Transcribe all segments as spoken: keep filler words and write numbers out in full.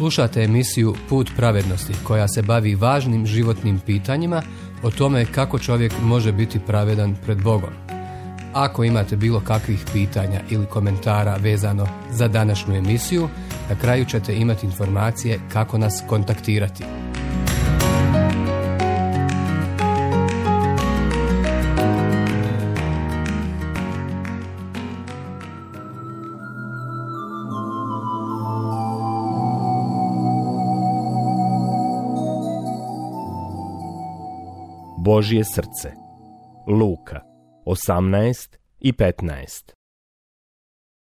Slušate emisiju Put pravednosti koja se bavi važnim životnim pitanjima o tome kako čovjek može biti pravedan pred Bogom. Ako imate bilo kakvih pitanja ili komentara vezano za današnju emisiju, na kraju ćete imati informacije kako nas kontaktirati. Božje srce. Luka osamnaest i petnaest.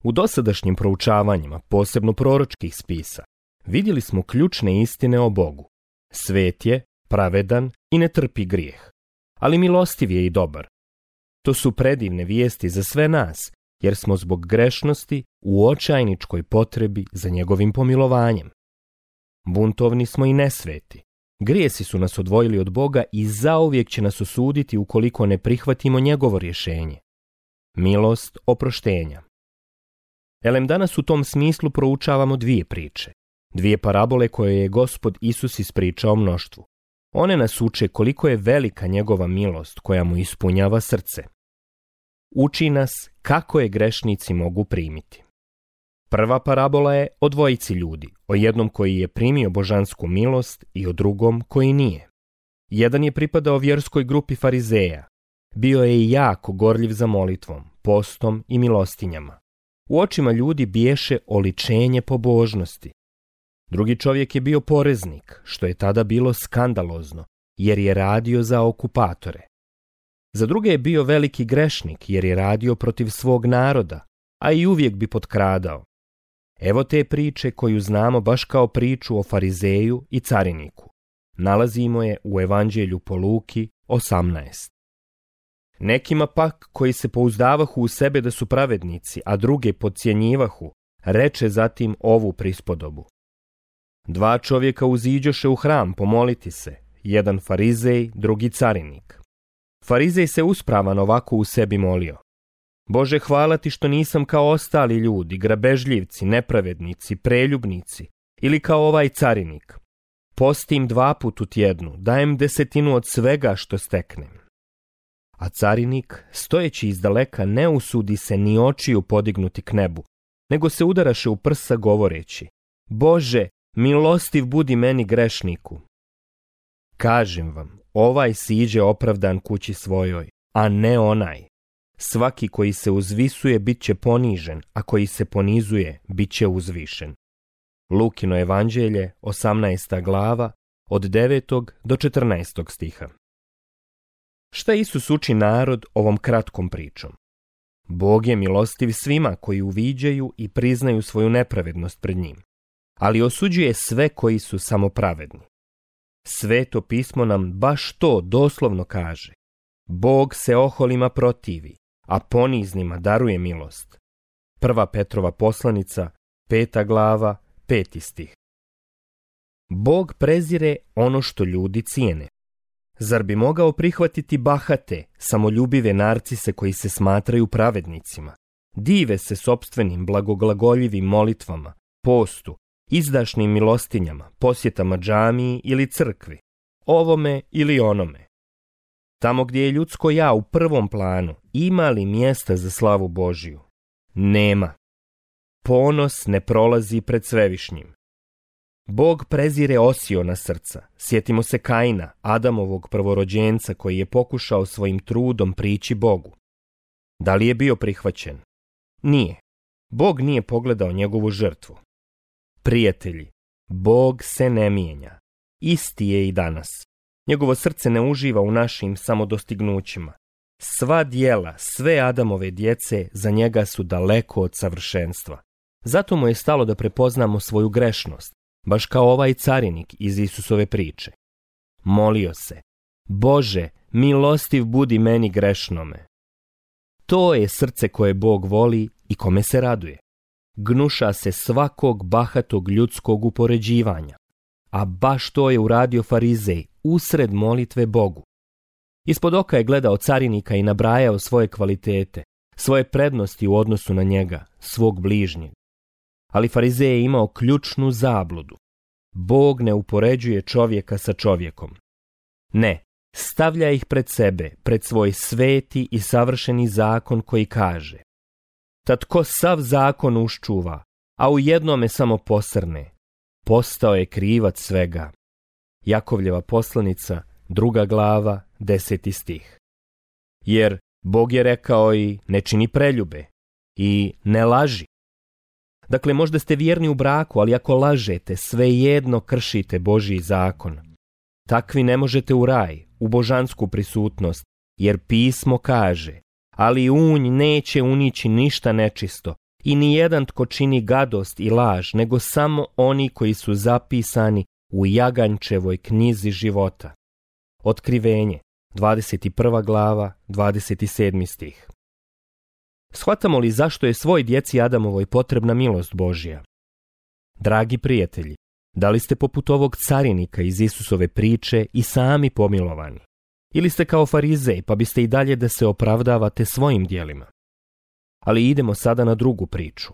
U dosadašnjim proučavanjima, posebno proročkih spisa, vidjeli smo ključne istine o Bogu. Svet je, pravedan i ne trpi grijeh, ali milostiv je i dobar. To su predivne vijesti za sve nas, jer smo zbog grešnosti u očajničkoj potrebi za njegovim pomilovanjem. Buntovni smo i nesveti. Grijesi su nas odvojili od Boga i zauvijek će nas osuditi ukoliko ne prihvatimo njegovo rješenje. Milost oproštenja. Elem, danas u tom smislu proučavamo dvije priče. Dvije parabole koje je Gospod Isus ispričao mnoštvu. One nas uče koliko je velika njegova milost koja mu ispunjava srce. Uči nas kako je grešnici mogu primiti. Prva parabola je o dvojici ljudi, o jednom koji je primio božansku milost i o drugom koji nije. Jedan je pripadao vjerskoj grupi farizeja. Bio je i jako gorljiv za molitvom, postom i milostinjama. U očima ljudi biješe oličenje pobožnosti. Drugi čovjek je bio poreznik, što je tada bilo skandalozno, jer je radio za okupatore. Za druge je bio veliki grešnik, jer je radio protiv svog naroda, a i uvijek bi potkradao. Evo te priče koju znamo baš kao priču o farizeju i cariniku. Nalazimo je u Evanđelju po Luki osamnaest. Nekima pak, koji se pouzdavahu u sebe da su pravednici, a druge podcjenjivahu, reče zatim ovu prispodobu. Dva čovjeka uziđoše u hram pomoliti se, jedan farizej, drugi carinik. Farizej se uspravan ovako u sebi molio. Bože, hvala ti što nisam kao ostali ljudi, grabežljivci, nepravednici, preljubnici ili kao ovaj carinik. Postim dva put u tjednu, dajem desetinu od svega što steknem. A carinik, stojeći izdaleka, ne usudi se ni očiju podignuti k nebu, nego se udaraše u prsa govoreći: Bože, milostiv budi meni grešniku. Kažem vam, ovaj siđe opravdan kući svojoj, a ne onaj. Svaki koji se uzvisuje bit će ponižen, a koji se ponizuje bit će uzvišen. Lukino evanđelje, osamnaesta glava, od devetog do četrnaestog stiha. Šta Isus uči narod ovom kratkom pričom? Bog je milostiv svima koji uviđaju i priznaju svoju nepravednost pred njim, ali osuđuje sve koji su samopravedni. Sveto pismo nam baš to doslovno kaže. Bog se oholima protivi, a poniznima daruje milost. Prva Petrova poslanica, peta glava, peti stih. Bog prezire ono što ljudi cijene. Zar bi mogao prihvatiti bahate, samoljubive narcise koji se smatraju pravednicima? Dive se sopstvenim blagoglagoljivim molitvama, postu, izdašnim milostinjama, posjetama džamiji ili crkvi, ovome ili onome. Tamo gdje je ljudsko ja u prvom planu, ima li mjesta za slavu Božiju? Nema. Ponos ne prolazi pred svevišnjim. Bog prezire Osiona srca. Sjetimo se Kaina, Adamovog prvorođenca koji je pokušao svojim trudom prići Bogu. Da li je bio prihvaćen? Nije. Bog nije pogledao njegovu žrtvu. Prijatelji, Bog se ne mijenja. Isti je i danas. Njegovo srce ne uživa u našim samodostignućima. Sva djela, sve Adamove djece za njega su daleko od savršenstva. Zato mu je stalo da prepoznamo svoju grešnost, baš kao ovaj carinik iz Isusove priče. Molio se: Bože, milostiv budi meni grešnome. To je srce koje Bog voli i kome se raduje. Gnuša se svakog bahatog ljudskog upoređivanja. A baš to je uradio farizej usred molitve Bogu. Ispod oka je gledao carinika i nabrajao svoje kvalitete, svoje prednosti u odnosu na njega, svog bližnjeg. Ali farizej je imao ključnu zabludu. Bog ne upoređuje čovjeka sa čovjekom. Ne, stavlja ih pred sebe, pred svoj sveti i savršeni zakon koji kaže: tad ko sav zakon uščuva, a u jednome samo posrne, postao je krivac svega. Jakovljeva poslanica, druga glava, deseti stih. Jer Bog je rekao i ne čini preljube i ne laži. Dakle, možda ste vjerni u braku, ali ako lažete, svejedno kršite Božji zakon. Takvi ne možete u raj, u božansku prisutnost, jer pismo kaže: ali unj neće unići ništa nečisto i nijedan tko čini gadost i laž, nego samo oni koji su zapisani u Jaganjčevoj knjizi života. Otkrivenje, dvadeset prva glava, dvadeset sedmi stih. Shvatamo li zašto je svoj djeci Adamovoj potrebna milost Božja? Dragi prijatelji, da li ste poput ovog carinika iz Isusove priče i sami pomilovani? Ili ste kao farizej, pa biste i dalje da se opravdavate svojim djelima? Ali idemo sada na drugu priču.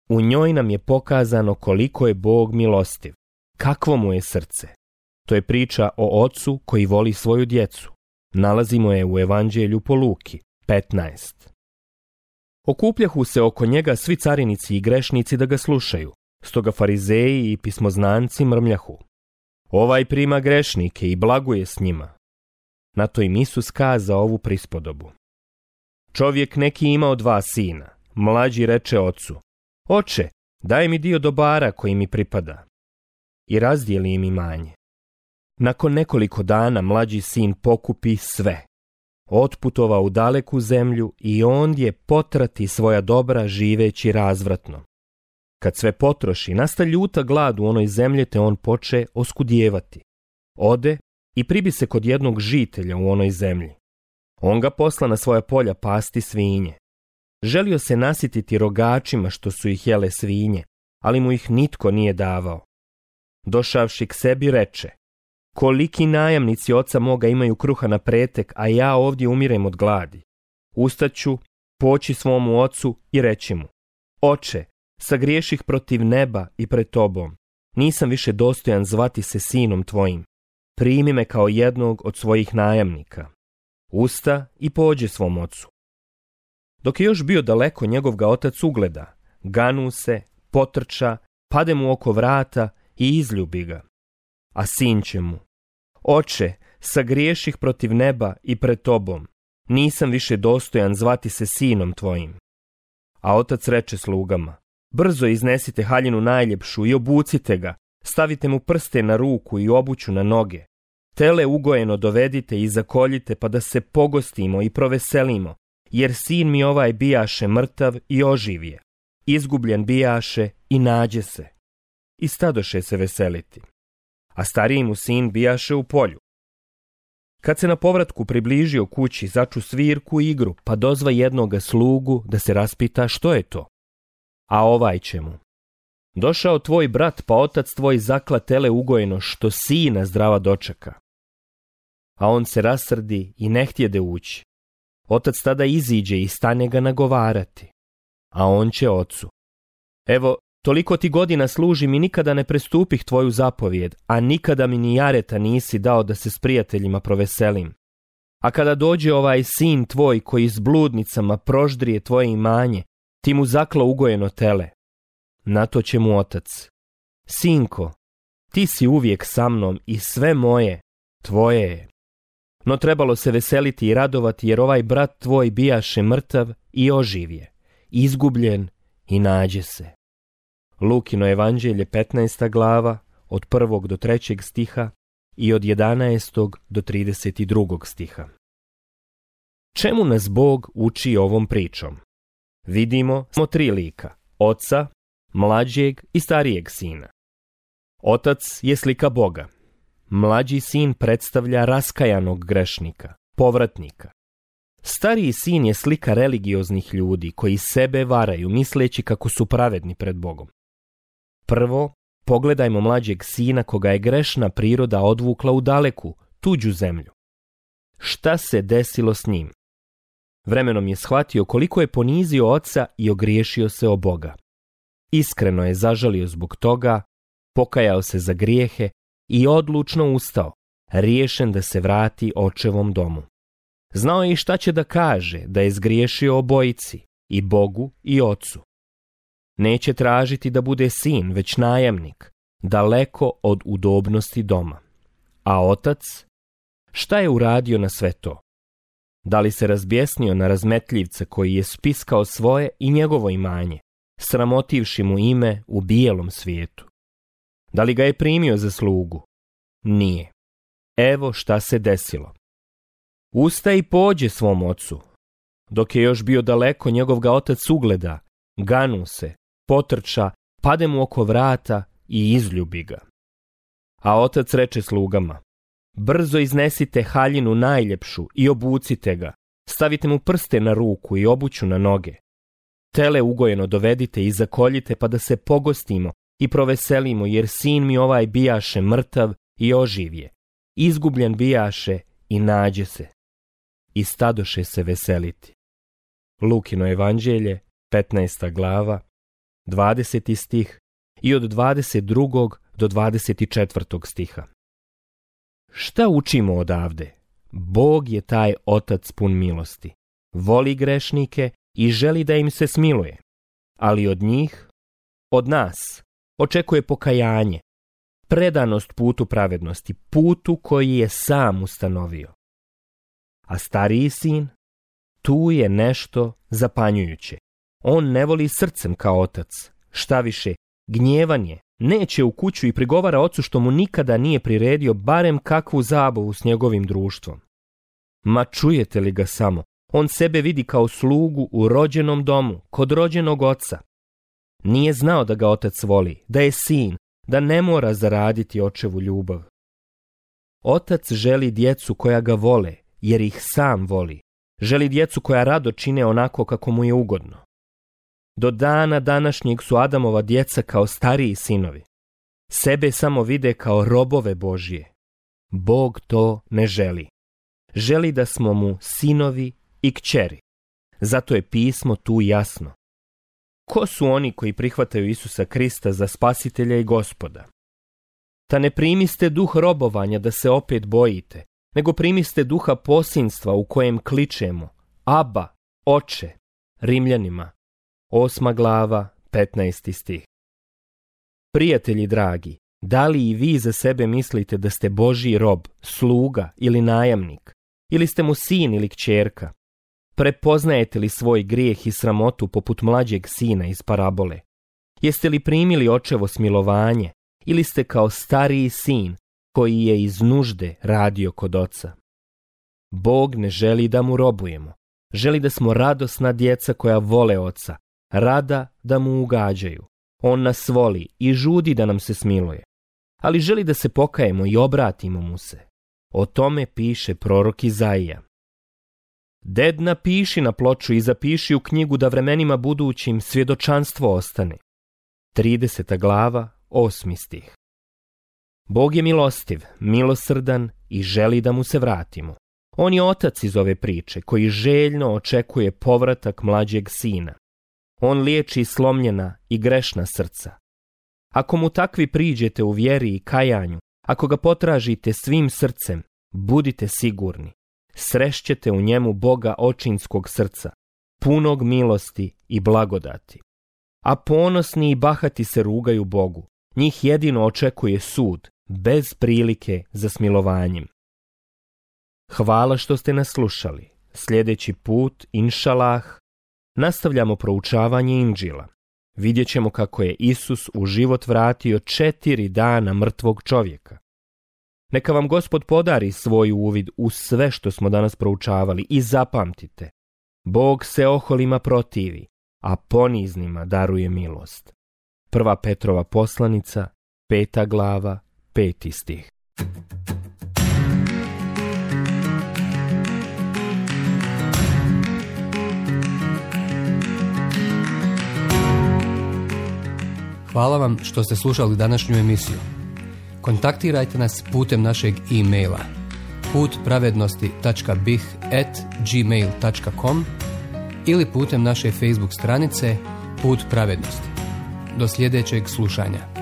U njoj nam je pokazano koliko je Bog milostiv, kakvo mu je srce. To je priča o ocu koji voli svoju djecu. Nalazimo je u Evanđelju po Luki, petnaest. Okupljahu se oko njega svi carinici i grešnici da ga slušaju, stoga farizeji i pismoznanci mrmljahu: ovaj prima grešnike i blaguje s njima. Na to im Isus kazao ovu prispodobu: čovjek neki imao dva sina. Mlađi reče ocu: oče, daj mi dio dobara koji mi pripada. I razdijeli im imanje. Nakon nekoliko dana mlađi sin pokupi sve. Otputovao u daleku zemlju i ondje potrati svoja dobra živeći razvratno. Kad sve potroši, nasta ljuta glad u onoj zemlji, te on poče oskudijevati. Ode i pribi se kod jednog žitelja u onoj zemlji. On ga posla na svoja polja pasti svinje. Želio se nasititi rogačima što su ih jele svinje, ali mu ih nitko nije davao. Došavši k sebi reče: koliki najamnici oca moga imaju kruha na pretek, a ja ovdje umirem od gladi. Ustaću, poći svomu ocu i reći mu: oče, sagriješih protiv neba i pred tobom. Nisam više dostojan zvati se sinom tvojim. Primi me kao jednog od svojih najamnika. Usta i pođe svom ocu. Dok je još bio daleko, njegov ga otac ugleda, ganu se, potrča, pade mu oko vrata i izljubi ga. A sin će mu: oče, sagriješih protiv neba i pred tobom. Nisam više dostojan zvati se sinom tvojim. A otac reče slugama: brzo iznesite haljinu najljepšu i obucite ga, stavite mu prste na ruku i obuću na noge. Tele ugojeno dovedite i zakoljite, pa da se pogostimo i proveselimo, jer sin mi ovaj bijaše mrtav i oživje, izgubljen bijaše i nađe se. I stadoše se veseliti. A stariji mu sin bijaše u polju. Kad se na povratku približio kući, začu svirku i igru, pa dozva jednoga slugu da se raspita što je to. A ovaj će mu: došao tvoj brat, pa otac tvoj zakla tele ugojeno, što sina zdrava dočeka. A on se rasrdi i ne htjede ući. Otac tada iziđe i stane ga nagovarati. A on će ocu: evo, toliko ti godina služim i nikada ne prestupih tvoju zapovjed, a nikada mi ni jareta nisi dao da se s prijateljima proveselim. A kada dođe ovaj sin tvoj koji s bludnicama proždrije tvoje imanje, ti mu zakla ugojeno tele. Na to će mu otac: sinko, ti si uvijek sa mnom i sve moje, tvoje je. No trebalo se veseliti i radovati, jer ovaj brat tvoj bijaše mrtav i oživje, izgubljen i nađe se. Lukino evanđelje, petnaesta glava, od prvog do trećeg stiha i od jedanaestog do trideset drugog stiha. Čemu nas Bog uči ovom pričom? Vidimo smo tri lika: oca, mlađeg i starijeg sina. Otac je slika Boga. Mlađi sin predstavlja raskajanog grešnika, povratnika. Stariji sin je slika religioznih ljudi koji sebe varaju misleći kako su pravedni pred Bogom. Prvo, pogledajmo mlađeg sina koga je grešna priroda odvukla u daleku, tuđu zemlju. Šta se desilo s njim? Vremenom je shvatio koliko je ponizio oca i ogriješio se o Boga. Iskreno je zažalio zbog toga, pokajao se za grijehe i odlučno ustao, riješen da se vrati očevom domu. Znao je i šta će da kaže da je zgriješio obojici, i Bogu i ocu. Neće tražiti da bude sin, već najamnik, daleko od udobnosti doma. A otac? Šta je uradio na sve to? Da li se razbjesnio na razmetljivca koji je spiskao svoje i njegovo imanje, sramotivši mu ime u bijelom svijetu? Da li ga je primio za slugu? Nije. Evo šta se desilo. Usta i pođe svom ocu. Dok je još bio daleko, njegov ga otac ugleda, ganu se, potrča, pade mu oko vrata i izljubi ga. A otac reče slugama: brzo iznesite haljinu najljepšu i obucite ga, stavite mu prste na ruku i obuću na noge. Tele ugojeno dovedite i zakoljite, pa da se pogostimo i proveselimo, jer sin mi ovaj bijaše mrtav i oživje, izgubljen bijaše i nađe se. I stadoše se veseliti. Lukino evanđelje, petnaesta glava, dvadeseti stih i od dvadeset drugog do dvadeset četvrtog stiha. Šta učimo odavde? Bog je taj otac pun milosti. Voli grešnike i želi da im se smiluje. Ali od njih, od nas, očekuje pokajanje, predanost putu pravednosti, putu koji je sam ustanovio. A stariji sin, tu je nešto zapanjujuće. On ne voli srcem kao otac. Šta više, gnjevan je, neće u kuću i prigovara ocu što mu nikada nije priredio barem kakvu zabavu s njegovim društvom. Ma čujete li ga samo? On sebe vidi kao slugu u rođenom domu, kod rođenog oca. Nije znao da ga otac voli, da je sin, da ne mora zaraditi očevu ljubav. Otac želi djecu koja ga vole, jer ih sam voli. Želi djecu koja rado čine onako kako mu je ugodno. Do dana današnjeg su Adamova djeca kao stariji sinovi. Sebe samo vide kao robove Božje. Bog to ne želi. Želi da smo mu sinovi i kćeri. Zato je pismo tu jasno. Ko su oni koji prihvataju Isusa Krista za spasitelja i gospoda? Ta ne primiste duh robovanja da se opet bojite, nego primiste duha posinstva u kojem kličemo: Aba, Oče. Rimljanima, osma glava, petnaesti stih. Prijatelji dragi, da li i vi za sebe mislite da ste Božji rob, sluga ili najamnik, ili ste mu sin ili kćerka? Prepoznajete li svoj grijeh i sramotu poput mlađeg sina iz parabole? Jeste li primili očevo smilovanje ili ste kao stariji sin koji je iz nužde radio kod oca? Bog ne želi da mu robujemo. Želi da smo radosna djeca koja vole oca, rada da mu ugađaju. On nas voli i žudi da nam se smiluje. Ali želi da se pokajemo i obratimo mu se. O tome piše prorok Izaija. Ded, napiši na ploču i zapiši u knjigu da vremenima budućim svjedočanstvo ostane. trideseta glava, osmi stih. Bog je milostiv, milosrdan i želi da mu se vratimo. On je otac iz ove priče koji željno očekuje povratak mlađeg sina. On liječi slomljena i grešna srca. Ako mu takvi priđete u vjeri i kajanju, ako ga potražite svim srcem, budite sigurni. Srešćete u njemu Boga očinskog srca, punog milosti i blagodati. A ponosni i bahati se rugaju Bogu. Njih jedino očekuje sud, bez prilike za smilovanjem. Hvala što ste nas slušali. Sljedeći put, inšalah, nastavljamo proučavanje Inđila. Vidjet ćemo kako je Isus u život vratio četiri dana mrtvog čovjeka. Neka vam Gospod podari svoj uvid u sve što smo danas proučavali i zapamtite, Bog se oholima protivi, a poniznima daruje milost. Prva Petrova poslanica, peta glava, peti stih. Hvala vam što ste slušali današnju emisiju. Kontaktirajte nas putem našeg e-maila putpravednosti tačka bih at gmail tačka com ili putem naše Facebook stranice Put pravednosti. Do sljedećeg slušanja.